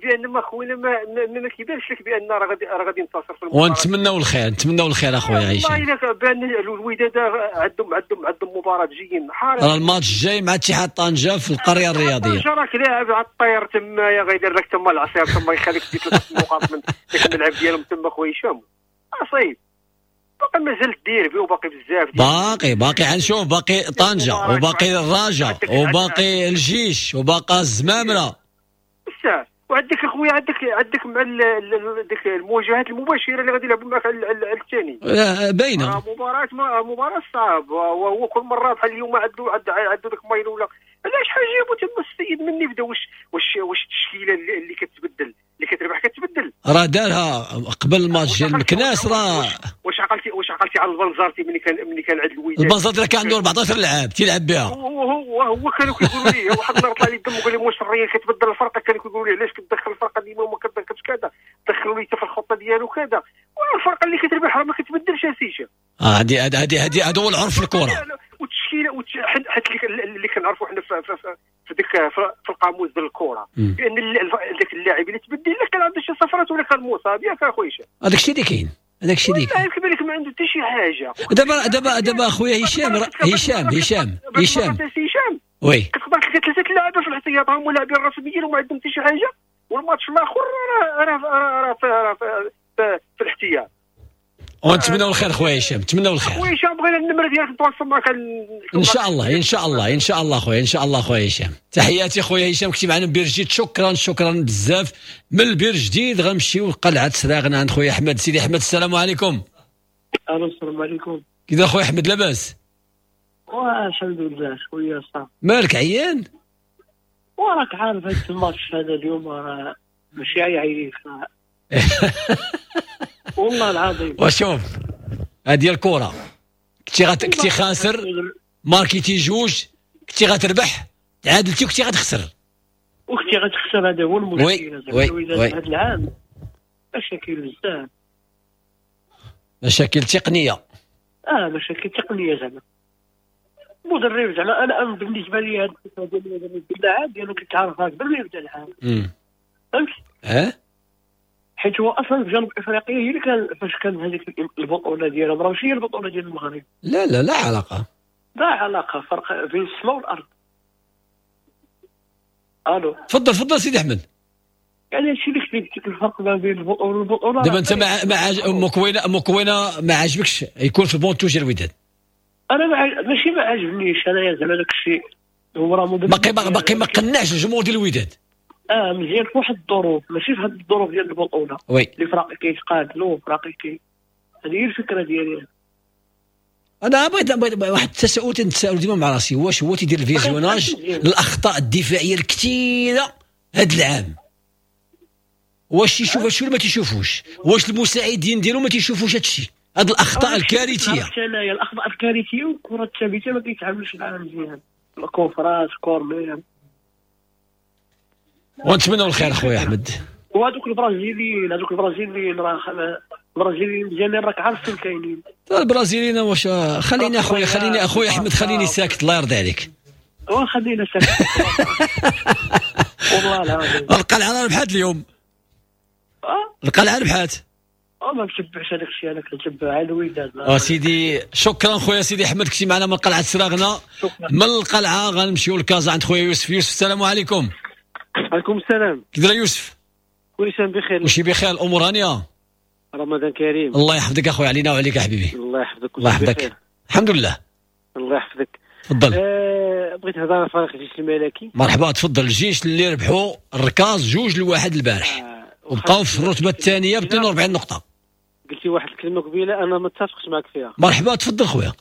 بان ما خوينا ما كيبانش لك بان راه غادي ينتصر في المباراة. ونتمناو الخير، نتمناو الخير اخويا هشام. والله الا بان الوداد عندهم مباراة جايين حارة. راه الماتش الجاي مع اتحاد طنجه في القرية الرياضية. طنجه راك لاعب على الطير تما، يا غيدير لك تما العصير تما، يخليك تدي 3 نقاط من ديك الملعب ديالهم تما خويا هشام. اصيب باقي مازال الديربي وباقي بزاف، باقي غنشوف، باقي طنجه وباقي الرجاء وباقي الجيش وباقي الزمامره. بزاف. وعندك اخويا عندك مع ديك المواجهات المباشرة اللي غادي يلعبوا معك على الثاني باينة. مباراة صعب، وهو كل مرة بحال اليوم عنده ديك مايل ولا علاش حاجة جابوا تما السيد مني بدا. واش التشكيلة اللي كتبدل اللي كتربح كتبدل، راه دارها قبل الماتش ديال مكناس. راه واش عقلتي على البنزرتي ملي كان عند الوداد؟ البنزرتي كان عنده 14 لاعب تيلعب بها، وهو كانوا كيقولوا ليه واحد النهار طلع لي الدم وقال لي واش الريال كتبدل الفرقة، كانوا كيقولوا لي علاش كتدخل الفرقة ديما وما كتدخلش كذا، دخلوا لي حتى في الخطة ديالو كذا. والفرقة اللي كتربح راه ما كتبدلش اسيشه. هذه هذا هو العرف في الكره والتشكيله، حيت اللي كنعرفوا حنا في ديك في القاموس ديال الكره بان ذاك اللاعب اللي تبدل الا كان عنده شي صفرات ولا كان مصاب ياك اخويا هشام، هذاك الشيء اللي كاين، هذاك الشيء اللي كاين. كيبان لك ما عنده حتى شي حاجة. دابا اخويا هشام هشام هشام هشام oui كتقدر تلقى 3 لاعبين في الاحتياط هما لاعبين رسميين وما عندهم حتى شي حاجة، والماتش الاخر راه راه في الاحتياط. ونتمناو الخير خويا هشام، نتمناو الخير خويا هشام. بغينا النمرة ديالك نتواصل معك ان شاء الله، ان شاء الله، ان شاء الله خويا، ان شاء الله خويا هشام. تحياتي خويا هشام، كنتي معنا من بير جديد. شكرا شكرا بزاف. من البير جديد غنمشيو لقلعه سراغنا عند خويا احمد. سيدي احمد السلام عليكم. الو السلام عليكم. كي خويا احمد لاباس؟ الحمد لله خويا صافي. مالك عيان؟ وراك عارف هذا الماتش هذا اليوم راه ماشي عيان والله العظيم. وشوف هذه الكره، كنتي خاسر ماركيتي جوج، كنتي غتربح تعادلتي وكنتي غتخسر، وكنتي غتخسر. هذا هو المشكل. oui هذا العام مشاكل بزاف، مشاكل تقنية. مشاكل تقنية زعما المدرب زعما انا بالنسبة لي هذا الفكرة ديال المدرب اللاعب ديالو كنت عارفها قبل ما يبدا العام. فهمت؟ حيت هو اصلا في جنوب افريقيا هي اللي كان فاش كان هذيك البطولة ديالهم راه ماشي هي البطولة ديال المغرب. لا لا لا علاقة، لا علاقة، فرق بين السماء والارض. الو، تفضل تفضل سيدي احمد. يعني هادشي اللي قلت لك، الفرق ما بين البطولة. دابا انت مع مكوينه ما عاجبكش يكون في ال banc de touche الوداد؟ انا ماشي ما عاجبنيش، انا زعما داك الشيء هو راه باقي ما قنعش الجمهور ديال الوداد. مزيان في واحد الظروف، ماشي في هاد الظروف ديال البطولة. oui، اللي فراقي كيتقاتلوا فراقي كي، هذه هي الفكرة ديالي. انا بغيت واحد التساؤل تنتساءل ديما مع راسي، واش هو تيدير ال visionnage للاخطاء الدفاعية الكثيرة هاد العام؟ واش تيشوف هادشي ولا ما تيشوفوش؟ واش المساعدين ديالو ما تيشوفوش هادشي؟ هاد الاخطاء الكارثية. الاخطاء الكارثية والكره الثابتة ما كيتعاملوش معاها مزيان، الكوفرات corner. ونتمنوا الخير خويا احمد. وهذوك البرازيليين، هذوك البرازيليين راه البرازيليين مزيانين، راك عارف فين كاينين البرازيليين. واش خليني اخويا، خليني اخويا احمد، خليني ساكت الله يرضي عليك. خلينا ساكت والله العظيم. القلعة ربحات اليوم. القلعة ربحات. ما متبعش هذاك الشيء، انا كنتبع على الوداد. سيدي شكرا خويا سيدي احمد، كنتي معنا من قلعه سراغنا. من القلعة غنمشيو لكازا عند خويا يوسف. يوسف السلام عليكم. وعليكم السلام. كي داير يوسف؟ كلشي بخير. كلشي بخير، الامور هانيه؟ رمضان كريم. الله يحفظك اخويا، علينا وعليك يا حبيبي. الله يحفظك. الله يحفظك. الحمد لله. الله يحفظك. تفضل. بغيت نهضر على فريق الجيش الملكي. مرحبا تفضل. الجيش اللي ربحوا الركاز 2-1 البارح وبقاو في الرتبة الثانية ب 42 نقطة. قلتي واحد الكلمة قبيلة انا ما اتفقش معك فيها. مرحبا تفضل خويا.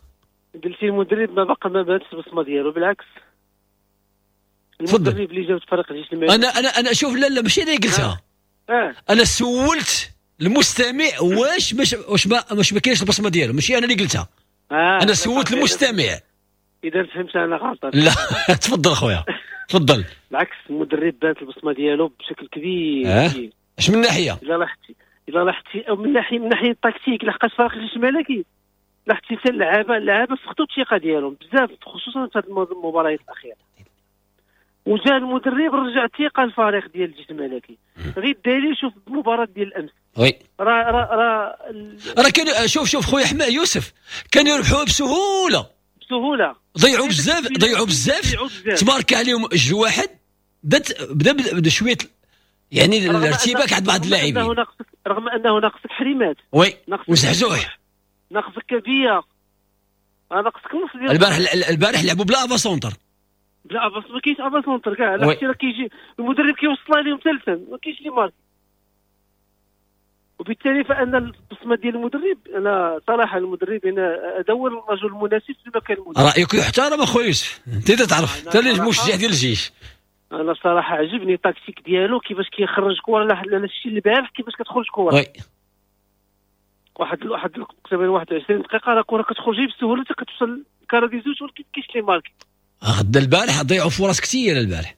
قلتي المدرب ما بقى ما بانتش البصمة ديالو، بالعكس المدرب اللي جاب فريق الجيش الملكي. انا انا انا شوف، لا لا ماشي انا اللي قلتها. انا سولت المستمع واش مش واش ما كاينش البصمة ديالو، ماشي انا اللي قلتها. انا سولت المستمع. اذا فهمت انا غلط. لا تفضل خويا تفضل. بالعكس المدرب بانت البصمة ديالو بشكل كبير. اش من ناحية؟ الا لاحظتي او من ناحية التكتيك، لحقاش فريق الجيش الملكي لاحظتي حتى اللعابه فقدوا الثقة ديالهم بزاف، خصوصا في هذه المباريات الاخيرة. وجا المدرب رجع الثقة للفريق ديال الجيش الملكي. غير الدليل شوف المباراة ديال الامس. oui راه راه راه كانوا، شوف خويا حما يوسف، كانوا يربحوها بسهولة بسهولة. ضيعوا بزاف تبارك عليهم 2-1. بدا شوية يعني الارتباك عند بعض اللاعبين، رغم انه ناقصك حريمات. oui وزحزوح ناقصك كبيرة، ناقصك نص ديال البارح لعبوا بلا avant-centre. بلا avant، ما كاينش avant-centre كاع. لا راه كيجي المدرب كيوصلها لهم ثالثا، ما كاينش les marques. وبالتالي فان البصمة ديال المدرب، انا صراحة المدرب انا هذا هو الرجل المناسب في المكان المناسب. رايك يحترم اخويا يوسف، انت تعرف انت اللي المشجع ديال الجيش. انا صراحة عجبني التكتيك ديالو كيفاش كيخرج كره. لا الشيء اللي البارح كيفاش كتخرج كره. oui واحد تقريبا 21 دقيقة راه كره كتخرج بسهولة حتى كتوصل الكره دي زوج، ولكن كاينش les marques. غدا البارح ضيعوا فرص كثيرة البارح.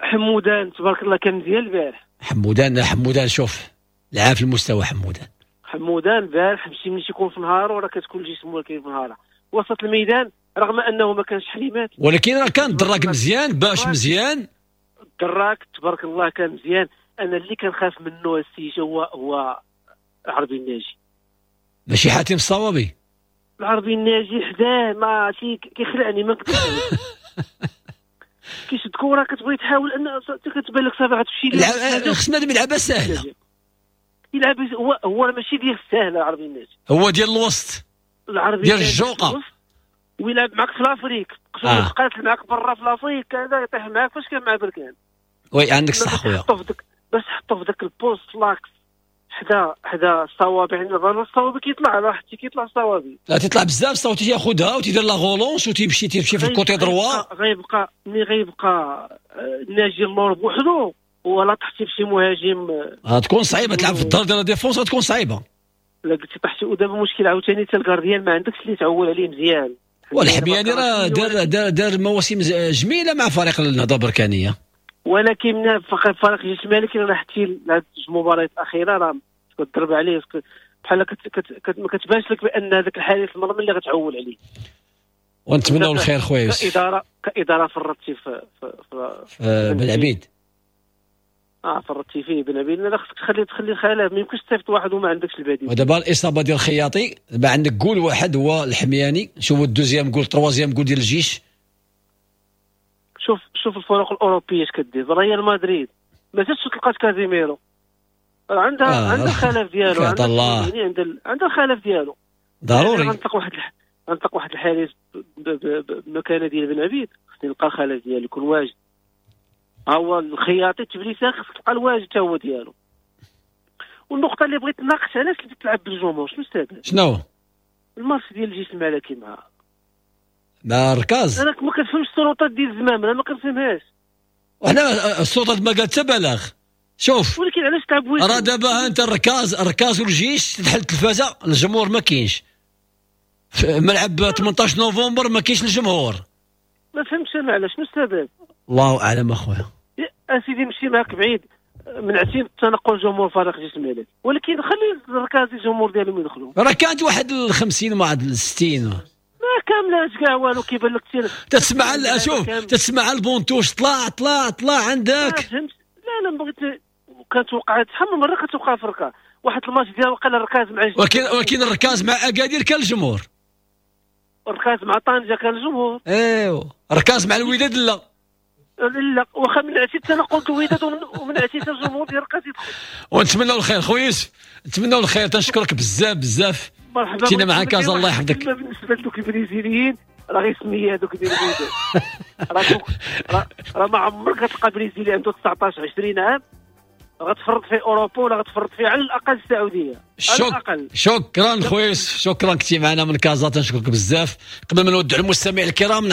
حمودان تبارك الله كان مزيان البارح. حمودان شوف لعب في المستوى. حمودان البارح ماشي ملي تيكون في نهارو راه كتكون الجسم هو كاين في نهاره. وسط الميدان رغم انه ما كانش حليمات، ولكن راه كان دراك مزيان، باش مزيان دراك تبارك الله كان مزيان. انا اللي كنخاف منه السي هو العربي الناجي، ماشي حاتم الصوابي. العربي الناجي حداه ما كيخلعني، ما نقدرش. كيشد كره كتبغي تحاول ان كتبان لك صافي غتمشي. خصنا يلعبها ساهله. يلعب هو ماشي ديال الساهله العربي الناجي، هو ديال الوسط، العربي ديال الجوقه، ويلعب معك في l'Afrique، يتقاتل معك برا في l'Afrique كذا، يطيح معك فاش كان مع بركان. oui عندك الصح خويا. باش حطو في ذاك ال poste l'axe حدا الصوابع، يعني الصوابي كيطلع، راه حتى كيطلع الصوابي. لا تيطلع بزاف الصوت، تياخذها وتيدير la relance وتيمشي تيمشي في ال côté droit. غيبقى ملي غيبقى ناجي اللور بوحدو ولا طحتي بشي مهاجم غتكون صعيبة تلعب في الظهر ديال la défense، غتكون صعيبة. لا قلتي طحتي. ودابا مشكل عاوتاني حتى ال gardien ما عندكش اللي تعول عليه مزيان. والحمياني راه دار دار دار مواسم جميلة مع فريق النهضة البركانيه، ولكن فريق الجيش الملكي راه حتى هاد المباريات الاخيرة راه كتضرب عليه بحال ما كتبانش لك بان هذاك الحارس المرمى اللي غتعول عليه. ونتمنوا الخير خويا يوسف. كادارة فرطتي في في بن عبيد. فرطتي فيه بن عبيد. لا خصك تخلي الخلاف، ما يمكنش تصيفط واحد وما عندكش البديل. ودابا الاصابة ديال الخياطي، دابا عندك جول واحد هو الحمياني، شوفوا ال deuxième goal troisième goal ديال الجيش. شوف الفرق الاوروبية اش كدير. ريال مدريد ما زادش تلقات كازيميرو، عندها عندها الخلف ديالو، يعني عندها الخلف ديالو ضروري. غنطلق واحد الحارس بمكانه ديال بن عبيد، خصني نلقى الخلف ديالو يكون واجد. ها هو الخياطي تبليسه خصك تلقى الواجد حتى هو ديالو. والنقطة اللي بغيت نناقش، علاش تلعب بالجمهور؟ شنو السبب؟ شنو الماتش ديال الجيش الملكي مع الركاز؟ انا ما كنفهمش السلطات ديال الزمام، انا ما كنفهمهاش. وحنا السلطات ما قالت حتى بلاغ. شوف، ولكن علاش تلعب؟ راه دابا انت الركاز والجيش تحل التلفازه، الجمهور ما كاينش في ملعب 18 نوفمبر، ما كاينش الجمهور. ما فهمتش انا علاش، شنو السبب؟ الله اعلم اخويا. اسيدي مشي معاك بعيد، من عتيب تنقل جمهور فريق جيش الملك، ولكن خلي الركاز الجمهور ديالهم يدخلوا. راه كانت واحد 50 وواحد 60 ما كاملاش كاع والو. كيبان لك تسمع، شوف تسمع البونتوش طلع طلع طلع عندك. فهمت؟ لا لا بغيت، كانت وقعت شحال من مرة كتوقع في الركاز واحد الماتش ديال وقع الركاز مع ولكن الركاز مع اكادير كان الجمهور، الركاز مع طنجه كان الجمهور، ايوا الركاز مع الوداد لا لا، واخا من عشيت انا قلت الوداد ومن عشيت الجمهور ديال الركاز يدخل. ونتمنوا الخير خويا يوسف، نتمنوا الخير. تنشكرك بزاف بزاف، مرحبا. كنا معاك كازا، الله يحفظك. بالنسبة لدوك البرازيليين راه غير سميه هذوك ديال الوداد، راه ما عمرك غتلقى برازيلي عنده 19 20 عام غتفرط في اوروبا ولا غتفرط فيه على الاقل السعودية. على الاقل. شكرا خويا يوسف، شكرا كنتي معنا من كازا، تنشكرك بزاف. قبل ما نودع المستمعين الكرام